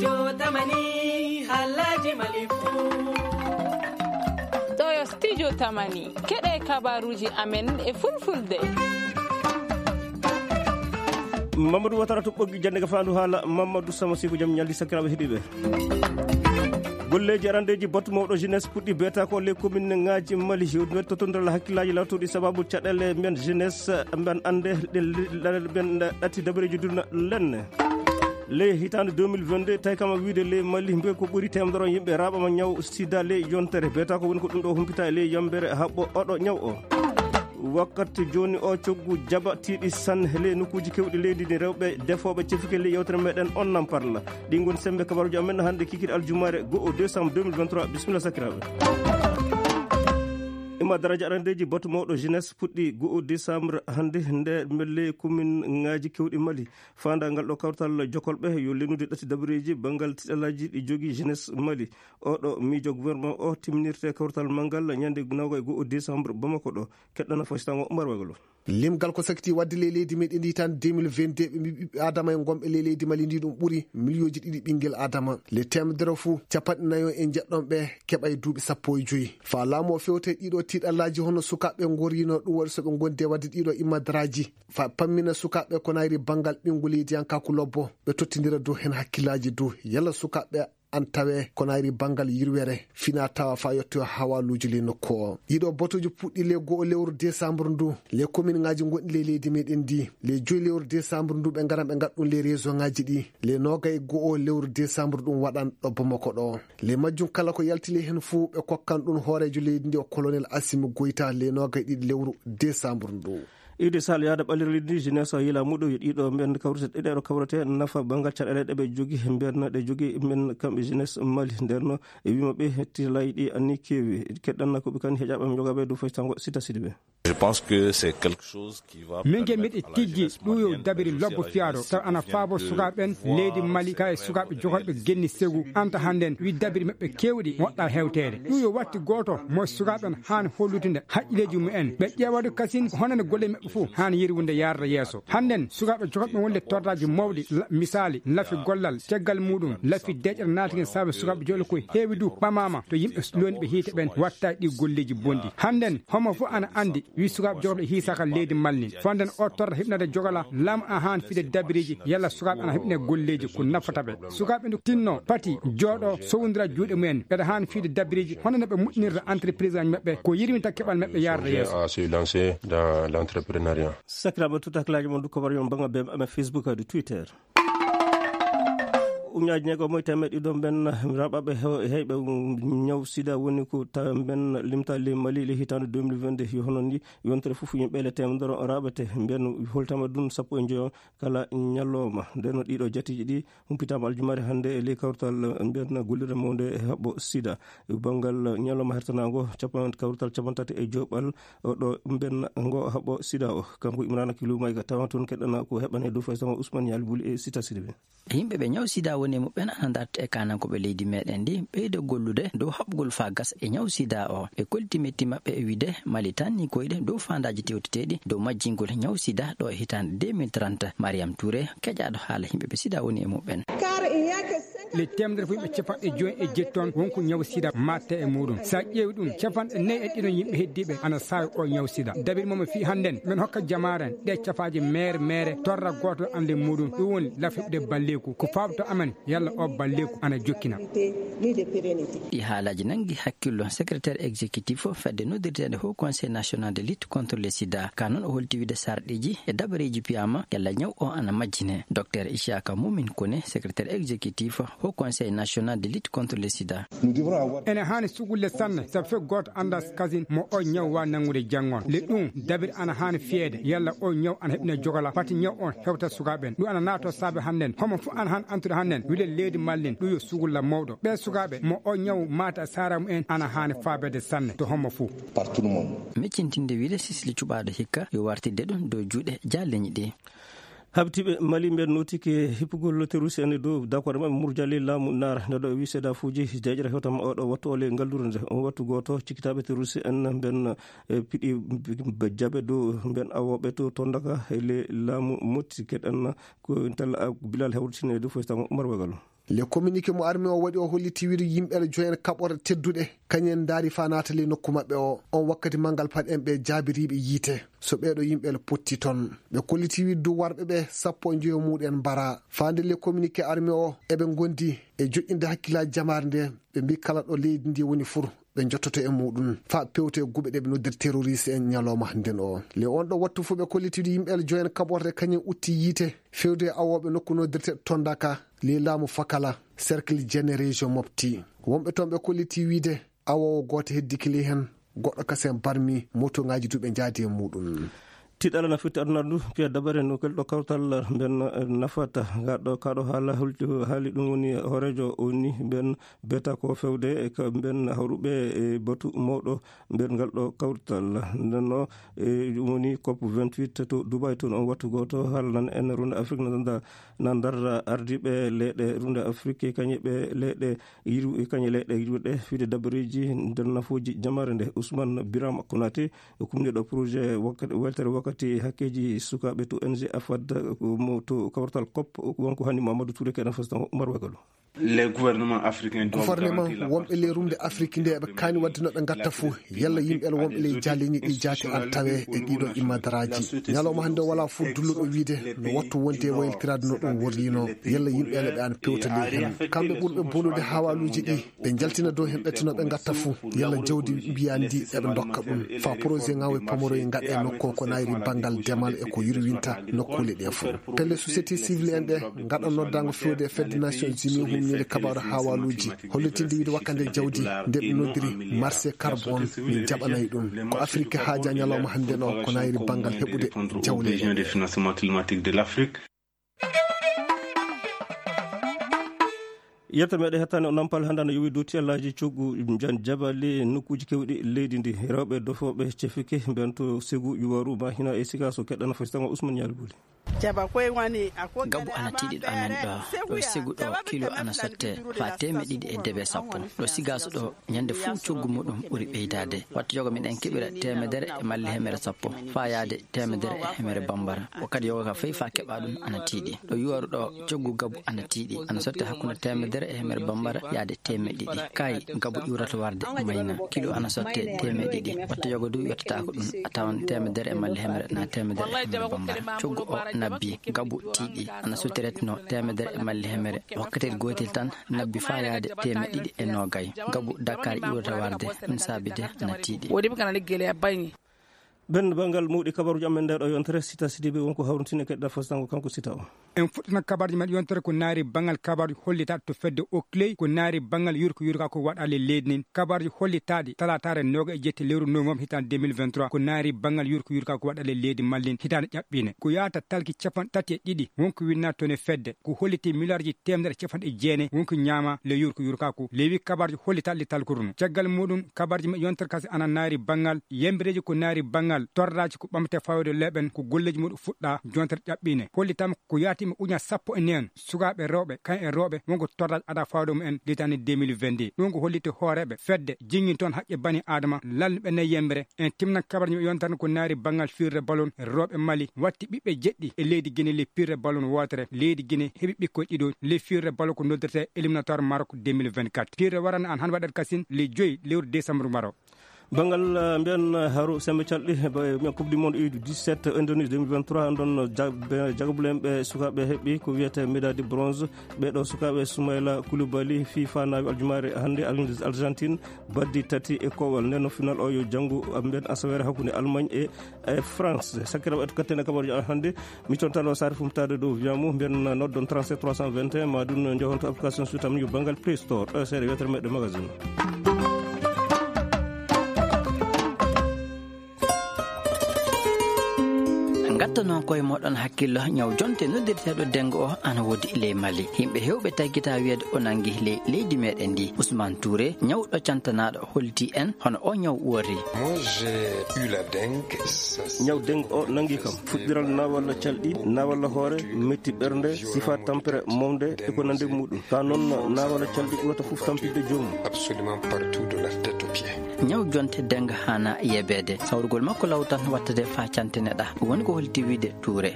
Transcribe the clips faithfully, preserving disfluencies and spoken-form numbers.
Jotamani, halaji malifu. Ɗo yo studio Tamani. Keɗe kabaruji amen e fulfulde. Mamadou Watara to ɓoggi jannde ka faandu haala. Mamadou Sama Siko, jam ñalli sakiraaɓe heɗiiɓe. Golleeji arandeeji batu mawɗo jeunesse puɗɗi beeta ko les commune ŋaaji Mali. Yo ɗum tottondira hakkillaaji lawtuɗi sababu caɗeele men jeunesse mben annde ɗen li-, la-, mben ɗatti dabareeji duna lenne. Ley hitaande deux mille vingt-deux, tawi kam wiide ley Mali mbiya ko ɓuri teemedere on yimɓe raaɓama ñaw sida ley yontere. Beeta ko woni ko ɗum ɗo humpita e ley yambere haɓɓo oɗo ñaw o. Wakkati jooni o coggu jaɓa tiiɗi sanne ley nokkuuji kewɗi leydi ndi. Rewɓe defooɓe cefike ley yewtere meɗen on namparla. Ɗi ngoni sembe kabaruji amen hannde kikiri aljumaare go'o décembre deux mille vingt-trois. Bisimilla sakiraaɓe. Ima daraja arandeeji batu mawɗo jeunesse puɗɗi go'o décembre hannde nder melle commune ŋaaji kewɗi Mali. Faandaangal ɗo kawtal jokolɓe yo lennude ɗati dabareeji banngal tiɗalaaji ɗi jogii jeunesse Mali. Oɗo miijo gouvernement o timminirte kawtal manngal ñande nawga e go'o décembre Bamako ɗo. Keɗɗana fasitango Umar Wagalo. Limgal ko sakiti waɗde ley leydi meɗen ndi tan deux mille vingt-deux, ɓe mbi ɓiɓɓe adama en gonɓe ley leydi Mali ndi ɗum ɓuri miliyonji ɗiɗi ɓinngel adama. Le temedere fuu capanɗe nayo e njeɗɗon ɓe keɓa e duuɓi sappo e joyi. Fa laamu o fewte ɗiɗo tiɗallaaji hono sukaaɓe ngorino ɗum waɗi so ɓe ngondi e waɗde ɗiɗo imadaraaji. Fa pammina sukaaɓe ko nayri banngal ɓinngu leydiyankaaku lobbo, ɓe tottindira dow heen hakkillaaji dow yalla sukaaɓe an tawe ko nayri banngal yirwere fina tawa fa yettoyo hawaluuji ley nokku o. Ɗiɗo botuuji puɗɗi ley go'o lewru décembre ndu. Ley commune ŋaaji gonɗi ley leydi meɗen ndi. Ley joyi lewru décembre ndu ɓe ngaran ɓe ngaɗa ɗum ley région ŋaaji ɗi. Ley noogay go'o lewru décembre ɗum waɗan ɗo Bamako ɗo. Ley majjum kala ko yalti ley heen fuu ɓe kokkan ɗum hooreejo leydi ndi o colonel Assimi Goïta ley noogay ɗiɗi lewru décembre ndu. Iwde Sall yaada ɓalirli ndi jeunesse o yila muɗo yo ɗiɗo mben kawrite ɗiɗo ɗo kawrete nafa banngal caɗeele ɗe ɓe jogi mben ɗe jogi mben kamɓe jeunesse Mali nderno e wima ɓe hetti layɗi anni kewi keɗɗanna ko ɓe kan heƴaɓe mi jogaɓe dow faytango sita sidi ɓe. Je pense que c'est quelque chose qui va min ke permettre mbiɗe à la tijji jeunesse ɗum yo malienne dabiri de lobbo réussir à fiyaaɗo taw ana faabo sukaaɓe ɓen leydi Mali ka e sukaaɓe jogoɓe genni segu anta hannden wi dabiri maɓɓe kewɗi moɗɗa hewteede. Ɗum yo watti gooto mo sukaaɓe ɓen haani hollude nde haqqilleeji mumen ɓe ƴeewade kasin honande golle maɓɓe fof haani yirwude yaarde yeeso. Hannden sukaaɓe jogoɓe wonde tordaaji mawɗi la- misaali lafi gollal caggal muɗum lafi deƴƴere naati gen saabe sukaaɓe jogoɓe ko heewi du ɓamaama to yimɓe looni ɓe hiite ɓen watta ɗi golleeji bonɗi. Hannden homo fof ana anndi wi sukaaɓe jogoɓe hiisaka leydi malni fanden o torra hiɓnade jogala laamu a haan fiide dabiriji yalla sukaaɓe ana hiɓne golleeji ko nafata ɓe. Sukaaɓe ndu tinno pati jooɗo sowndira juuɗe mumen ɓeɗa haan fiide dabiriji hono no ɓe moƴƴinirta entreprise aji maɓɓe ko yirwinta keɓal maɓɓe yarde yeeso. À se lancer dans l'entrepreneuriat. Sakiraaɓe tutakilaaji mon du kobar yon banga bem ama Facebook adu Twitter. Uñaaji ñeego moy temeɗɗi ɗo mben raɓaɓe heyɓe ñaw sida woni ko tawa mben limta le Mali le hitande deux mille vingt-deux yo hono ndi yontere fof yimɓe le temedere raɓete mben holtama dun sappo e joyo kala ñallooma. Nden no ɗiɗo jatiiji ɗi humpitaama aljumari hannde e ley kawtal mbiyaten gollirde mawnde e haɓɓo sida. Banngal ñallooma hertanaango capan- kawtal capantati e joɓal o ɗo mbiyaten ngo haɓɓo sida o. Kanko Imrana Kiluma e ka tawa toon keɗɗana ko heɓane dow fay sama Ousmane Yali Buli e sita sidi ɓe. Yimɓe ɓe ñaw sida woni e muɓɓen ana darta e kanankoɓe leydi meɗen ndi ɓeydo gollude dow haɓɓugol faa gas e ñaw sida o. Ɓe kolti metti maɓɓe e wiide Mali tan ni koyɗe dow faandaaji tewteteeɗi dow majjingol ñaw sida ɗo e hitaande deux mille trente. Mariam Touré, keƴaaɗo haala yimɓe ɓe sida woni e muɓɓen. Le temedere fof yimɓe capanɗe joyi e jetti toon wonko ñaw sida matte e muɗum. Sa ƴeewi ɗum capanɗe nayi e ɗiɗon yimɓe heddiiɓe ana saawi o ñaw sida. Dabiri momo fii hannden men hokka jamaaren ɗe cafaaji mere mere torra gooto annde muɗum. Ɗum woni lafiɓde balleeku ko fawto amen yalla o balleeku ana jokkina. Ɗi haalaaji nanngi hakkillo secrétaire exécutif fedde noddirteende Haut Conseil National de Lutte contre le Sida. Ka noon o holti wiide sarɗiiji e dabareeji piyaama yalla ñaw o ana majjine. Docteur Ishaka Mumin Kone, secrétaire exécutif Haut Conseil National de Lutte contre le Sida. Ene haani sugulle sanne sabu fof gooto annda kasin mo o ñaw wa nanngude janngon. Le ɗum dabiri ana haani fiyeede yalla o ñaw ana heɓina jogala pati ñaw on hewta sukaaɓe en. Ɗum ana naato saabe hannden homo fof ana han antude hannden wile leydi mallin ɗum yo sugulla mawɗo. Ɓe sukaaɓe mo o ñaw maata saara mumen ana haani faabede sanne to homo fof. Par tout le monde. Miccintinde wiide sisli cuɓaaɗo hikka yo wartidde ɗum dow juuɗe jaalleñi ɗi. Habtiiɓe Mali mbiyen nootike hippugol terroriste en e dow dakore maɓɓe murjali laamu naar nde ɗo wi seeda fuuji jeyƴere hewtama oɗo wattu ole ngallure nde on wattu gooto cikkitaaɓe terroriste en mbiyen e piɗi jaɓe dow mbiyen awooɓe to tondaka e le laamu motti keɗen ko talla bilal hewtine dow fof tango Umar Wagalo. Le communiqué mo armée o waɗi o holliti wiide yimɓe le joyen kaɓorɗe tedduɗe, kañum en ndaari faa naata ley nokku maɓɓe o. On wakkati manngal paɗ en ɓe jaabiriiɓe yiite, so ɓeeɗo yimɓe le potti toon. Ɓe kolliti wiide du warɓe ɓe sappo e njoyo muɗum en mbara. Faa nde le communiqué armée o, eɓe ngondi e joƴƴinde hakkillaaji jamaare nde, ɓe mbii kala ɗo leydi ndi woni fur, ɓe njottoto e muɗum, faa pewte e guɓe ɗe ɓe noddiri terroriste en ñalawma hannden o. Le on ɗo wattu fof ɓe kolliti wiide yimɓe le joyen kaɓorɗe kañum utti yiite, fewde e awooɓe nokku noddirte Tondaka, ley laamu Fakala, cercle Jenne région Mopti. Wonɓe toon ɓe kolliti wiide awoowo gooto heddiki ley heen, goɗɗo kasen barmi, motoŋaaji du ɓe njaadi e muɗum. Tiɗal na fitti aduna ndu, piya dabare nokkel ɗo kawtal mben, eh, nafata. Gaɗo kaɗo haala hulti, haali ɗum woni hooreejo O N U mben beta ko fewde e ka mben hawruɓe e batu mawɗo mben ngal ɗo kawtal. Nden no, eh, ɗum woni cop vingt-huit to Dubai, toon on wattu gooto haalnan en runde Afrik na ndar, na ndar ardiiɓe leyɗe runde Afrik, kañe ɓe leyɗe yiru, kañe leyɗe yiruɗe fiide dabareeji nder nafuuji jamaare nde. Ousmane Birame Konaté, kumniiɗo projet wakkati, weltere wakkati hakkeeji sukaaɓe to O N G AFAD, mo to kawtal cop, wonko hani Mamadou Touré keɗen fos tan Oumar Wagalo. Les gouvernements africains doivent Gouvernement garantir la wonɓe ley rumde Afrique nde eɓe kaani wadde no ɓe ngatta fof. Yalla yimɓe ele wonɓe ley jaalleeji ɗi jaati an tawe e ɗiɗo imadaraaji. Ñalawma hannde o wala fof dulluɗo wiide no wattu wonde e waylitiraade no ɗum worrino. Yalla yimɓe ele ɓe an pewta ley heen. Kamɓe ɓurɓe bonude haawaaluuji ɗi, ɓe njaltina dow heen ɓe tino ɓe ngatta fof. Yalla jawdi mbiyaandi ndi eɓe ndokka ɗum. Faa projet ŋawo e pomoro e ngaɗe nokko ko nayri banngal demal e ko yurwinta nokkuule ɗe fof. Pelle société civile en ɗe ngaɗa noddaango fewde e fedde Nations Unies humniinde kabaaru haawaaluuji, hollitinde wiide wakkande jawdi nde ɓe noddiri marché carbone min jaɓanay ɗum. Ko Afrique haaja ñalawma hannde no ko nayri banngal heɓude jawle. Des financements climatiques de l'Afrique. Yetta meɗe hettani o nampal hannde no yowi dow tiyallaaji coggu njan jabali nokkuuji kewɗi leydi ndi. Rewɓe dofooɓe cefike mben to Segu Yuwaru ma hina e Sikaso keɗɗana fo sitaŋo Ousmane Ñaali Buli. Gabu ana tiiɗi ɗo amen ɗo, ɗo Segu ɗo kilo ana sotte faa teemeɗe ɗiɗi e debe sappo. Ɗo Sikaso ɗo ñande fuu coggu muɗum ɓuri ɓeydaade. Wattu yogo miɗen keɓira teemedere e malli hemere sappo faa yaade teemedere e hemere bambara. Wakkati yogo ka fay faa keɓa ɗum ana tiiɗi. Ɗo Yuwaru ɗo coggu gabu ana tiiɗi. Ana sotte hakkunde teemedere e hemere bambara yaade teemeɗe ɗiɗi. Kay gabu ƴuurata warde mayna. Kilo ana sotte teemeɗe ɗiɗi. Wattu yogo du yottataako ɗum. A tawan teemedere e malli hemere na teemedere e hemere bambara. Coggu o nabbi gabu tiiɗi. Ana sottiretno teemedere e malli hemere. Wakkati gootel tan nabbi faa yaade teemeɗe ɗiɗi e noogay. Gabu Dakar ƴuurata warde ɗum saabi de ana tiiɗi. Wodi bi kana liggele a baŋi. Ben banngal mawɗi kabaruuji amen nder ɗo yontere, Sita Sidibe wonko hawrintini keɗɗa fos tango kanko Sita o. En fuɗɗata kabaruuji men yontere ko naari banngal kabaruuji hollitaaɗi to fedde Oakley, ko naari banngal yurko yurka ko waɗaale leydi nin. Kabaruuji hollitaaɗi talaataare nooga e jetti lewru novembre hitaande deux mille vingt-trois, ko naari banngal yurko yurka ko waɗaale leydi Mali nin hitaande ƴaɓɓiinde. Ko yaata talki capanɗe tati e ɗiɗi wonko winna toon e fedde, ko holliti miliyarji teemedere e capanɗe jeenayi wonko ñaama le yurko yurka ko. Lewi kabaruuji hollitaaɗi le talkuru no. Caggal muɗum kabaruuji men yontere kasi ana naari banngal yembereeji ko naari banngal torraaji ko ɓamte fawde leeɓen ko golleeji muɗum fuɗɗa jontere ƴaɓɓiinde. Hollitaama ko yaati mo uña sappo e neen sukaaɓe rewɓe, kañ e rewɓe wonko torraaji ada fawde mumen litaani deux mille vingt-deux. Ɗum ko holliti hooreeɓe fedde jinngin toon haqqe bani Aadama lalnuɓe nayi yembere. En timnan kabaruuji men yontere ko naari banngal firde balon rewɓe Mali watti ɓiɓɓe jeɗɗi e leydi Gine le firde balon wootere. Leydi Gine heɓi ɓikkoy ɗiɗo le firde balon ko noddirte éliminatoire Maroc deux mille vingt-quatre. Firde warana an han waɗat kasin le joyi lewru décembre Maroc. Banngal, eh, mbiyen, eh, haru sembe calɗi, eh, ba, mbiyen Coupe du Monde U dix-sept Indonésie deux mille vingt-trois, ɗon, eh, jag-, be, jagabulen ɓe sukaaɓe heɓi ko wiyete médaille de bronze. Ɓe ɗo sukaaɓe Soumaïla Koulibaly, FIFA naawi aljumaare hannde Al-, Argentine, baddi tati e kowal. Nden no final o yo janngu, eh, mbiyen asaweere hakkunde Allemagne e, e France. Sakiraɓe to kattene kabaruji an hannde. Mi tontano saare fumtaade dow wiyamu, mbiyen noddon trente-sept trois cent vingt et un, ma ɗum jahon to application suutam yo banngal Play Store. Ɗo e seeɗa yewtere meɗen magazine. Ngattanoo koye moɗon hakkillo ñaw jonte noddirteeɗo dengo o ana woodi ley Mali. Yimɓe heewɓe taggita wiyeede o nangi ley leydi meɗen ndi. Ousmane Touré, ñawɗo cantanaaɗo, holliti en hono o ñaw worri. Moi, j'ai eu la dengue. Ñaw dengue o nangi kam. Fuɗɗiral naawalla calɗi, naawalla hoore, metti ɓernde, sifa tampere, momde, e ko nande muɗum. Ka noon naawalla calɗi ɓurata fof tampinde joomum. Absolument partout de la tête aux pieds. Ñaw jonte dengue hana yebeede. Sawrugol makko law tan wattade faa canteneɗa. Woni ko holti Wide Touré.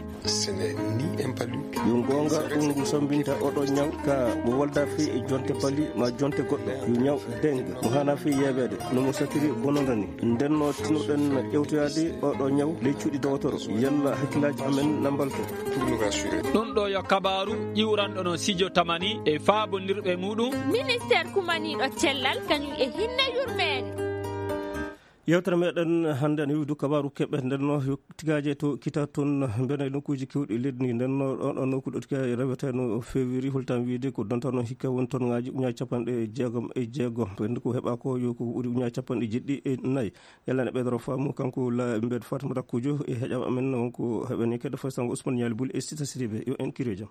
Yo goonga ɗum ngu sambinta oɗo ñaw ka mo walda fii e jonte bali ma jonte goɗɗo. Yo ñaw deng mo hana fii yeeɓeede no mo satiri bonondani. Ndenno tinuɗen ƴewtoyaade oɗo ñaw ley cuuɗi dowotoro yalla hakkillaaji amen na mbalto. Ɗum ɗo yo kabaaru ƴiwranɗo no Sijo Tamani e faabondirɓe muɗum. Ministeer kumaniiɗo cellal kañum e hinne yurmeende. Yewtere meɗen hannde ana wiwdu kabaaru keɓe ndenno tigaaje to kita toon mbena e nokkuuji kewɗi leydi ndi. Ndenno ɗon ɗon nokku ɗo tigaaje rewete no feewiri holtan wiide ko donta noon hikka woni tonngaji uñaaji capanɗe jeegom e jeegom. Ɓenndi ko heɓa ko yo ko ɓuri uñaaji capanɗe jeɗɗi e nayi. Yalla ne ɓeydoro faamu kanko la mbeɗo Fatma Dakkujo e heƴam amen wonko heɓani keddo foy sango Ousmane Ñaali Bul e Sita Sidibe. Yo en kire jam.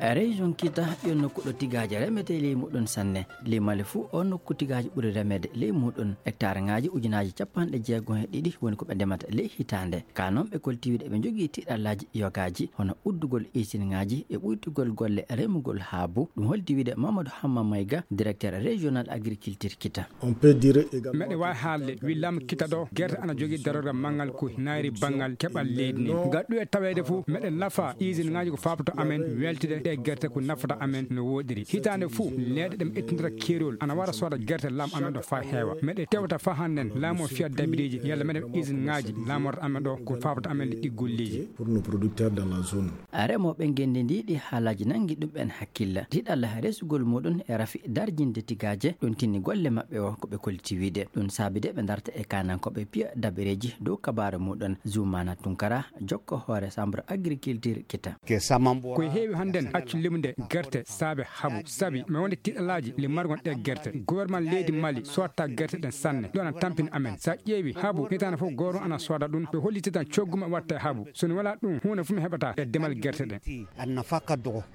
Région Kita yo nokku ɗo tigaaji remete ley muɗum sanne. Ley Mali fuu o nokku tigaaji ɓuri remeede ley muɗum. Hectare ngaaji ujunaaji capanɗe jeegom e ɗiɗi woni ko ɓe ndemata ley hitaande. Ka noon ɓe kolti wiide ɓe njogii tiɗallaaji yogaaji hono uddugol isinngaaji e ɓuytugol golle remugol haabu. Ɗum holti wiide Mamadou Hamma Mayga, directeur régional agriculture Kita. Meɗe waawi haalde wi lam kita ɗo gerte ana jogii darorgal manngal ko naayri banngal keɓal leydi ndi. Ngal ɗu e taweede fof meɗen nafa isinngaaji ko faabto amen weltide ɗe gerte ko nafata amen no woɗiri. Hitaande fof leeɗe ɗem ittindata keerol ana wara sooda gerte lam amen ɗo faa heewa. Meɗe tewta faa hannden laamu o fiya dabireeji yalla meɗen isinngaaji laamorta amen ɗo ko faabto amen ɗi ɗiggolleeji. Pour nos producteurs dans la zone. Remooɓe ngenndi ndi ɗi haalaaji nanngi ɗum ɓen hakkille. Tiɗalla resugol muɗum e rafi darjinde tigaaje ɗum tinni golle maɓɓe o ko ɓe kolti wiide. Ɗum saabide ɓe darta e kaanankooɓe piya dabereeji dow kabaaru muɗum. Zumaana Tunkara, jokko hoore Chambre Agriculture Kita. Ko heewi hannden accu limde gerte saabe habu. Sabi mi wonde tiɗalaaji le margon ɗe gerte. Gouvernement leydi Mali sotta gerte ɗen sanne. Ɗo ana tampin amen. Sa ƴeewi habu hitaande fof gooto ana sooda ɗum. Ɓe hollititan coggu ma watta e habu. So ni wala ɗum huunde fof mi heɓata e demal gerte ɗen.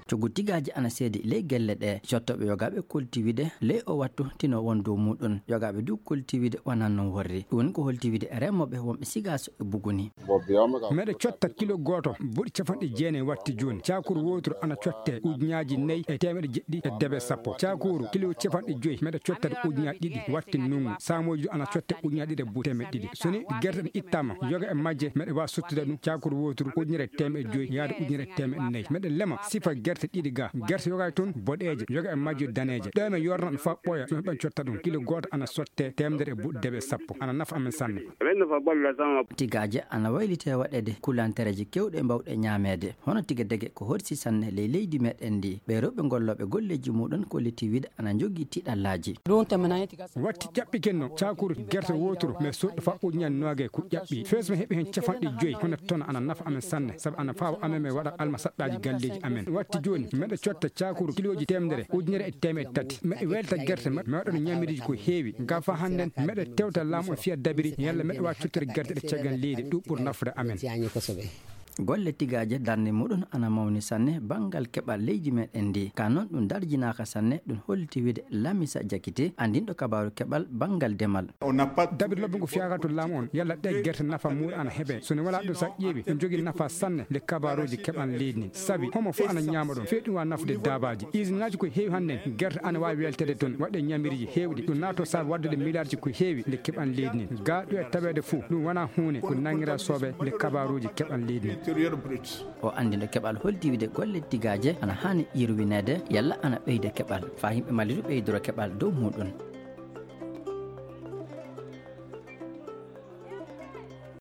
Coggu tigaaji ana seedi ley gelle ɗe. Cottooɓe yogaaɓe kolti wiide ley o wattu tino won dow muɗum. Yogaaɓe du kolti wiide wanan non worri. Ɗum woni ko holti wiide remooɓe wonɓe sigaaso e buguni. Meɗe cotta kilo gooto buɗi capanɗe jeenayi watti jooni. Cakuru wooturu ana cotte ujunnaaji nayi e teemeɗe jeɗɗi e debe sappo. Cakuru kilo capanɗe joyi meɗe cottata ujunnaaji ɗiɗi watti nungu. Saamooji du ana cotte ujunnaaji ɗiɗi e buɗi teemeɗe ɗiɗi. So ni gerte ɗe ittaama yoga e majje meɗe waawi sottude ɗum cakuru wooturu ujunere e teemeɗe joyi yaade ujunere e teemeɗe nayi. Meɗe lema sifa gerte ɗiɗi ga. Gerte yoga e toon boɗeeje yoga e majje daneeje. Ɗo men yorna ɗum faa ɓooya ɗum heɓen cotta ɗum. Kilo gooto ana sotte teemedere e buɗi debe sappo. Ana nafa amen sanne. Tigaaje ana waylite waɗeede kulantereeji kewɗe mbawɗe ñaameede. Hono tigi dege ko horsi sanne ley leydi meɗen ndi. Ɓe rewɓe gollooɓe golleeji muɗum kolliti wiide ana njogii tiɗallaaji. Watti ƴaɓɓi kenno cakuru gerte wooturu mais soɗɗo faa ujunnaaji noogay ko ƴaɓɓi. Fees mi heɓi heen capanɗe joyi hono tono ana nafa amen sanne. Sabu ana faawa amen mi waɗa alma saɗɗaaji galleeji amen. Watti jooni meɗe cotta cakuru kilooji teemedere ujunere e teemeɗe tati. Meɗe welta gerte meɗe mi waɗa no ñaamiriiji ko heewi. Ga faa hannden meɗe tewta laamu o fiya dabiri yalla meɗe waawi cottude gerte ɗe caggal leydi ɗum ɓuri nafude amen. Golle tigaaje darnde muɗum ana mawni sanne banngal keɓal leydi meɗen ndi. Ka noon ɗum darjinaaka sanne ɗum holti wiide Lamisa Jakite anndinɗo kabaaru keɓal banngal demal. Dabiri lobbo ngu fiyaka to laamu on yalla ɗe gerte nafa muɗum ana heɓe. So ni wala ɗum sa ƴeewi ɗum jogii nafa sanne nde kabaaruuji keɓal leydi ndi. Sabi homo fof ana ñaama ɗum fii ɗum waawa nafude daabaaji. Isinaaji ko heewi hannden gerte ana waawi welteede toon waɗde ñaamiriiji heewɗi. Ɗum naato saabi waɗdude miliyaarji ko heewi nde keɓal leydi ndi. Ga ɗo e taweede fof ɗum wonaa huunde ko nanngiraa soobee nde kabaaruuji keɓal leydi ndi. O anndino keɓal holti wiide golle tigaaje ana haani yirwineede yalla ana ɓeyda keɓal faa yimɓe Mali du ɓeydoro keɓal dow muɗum.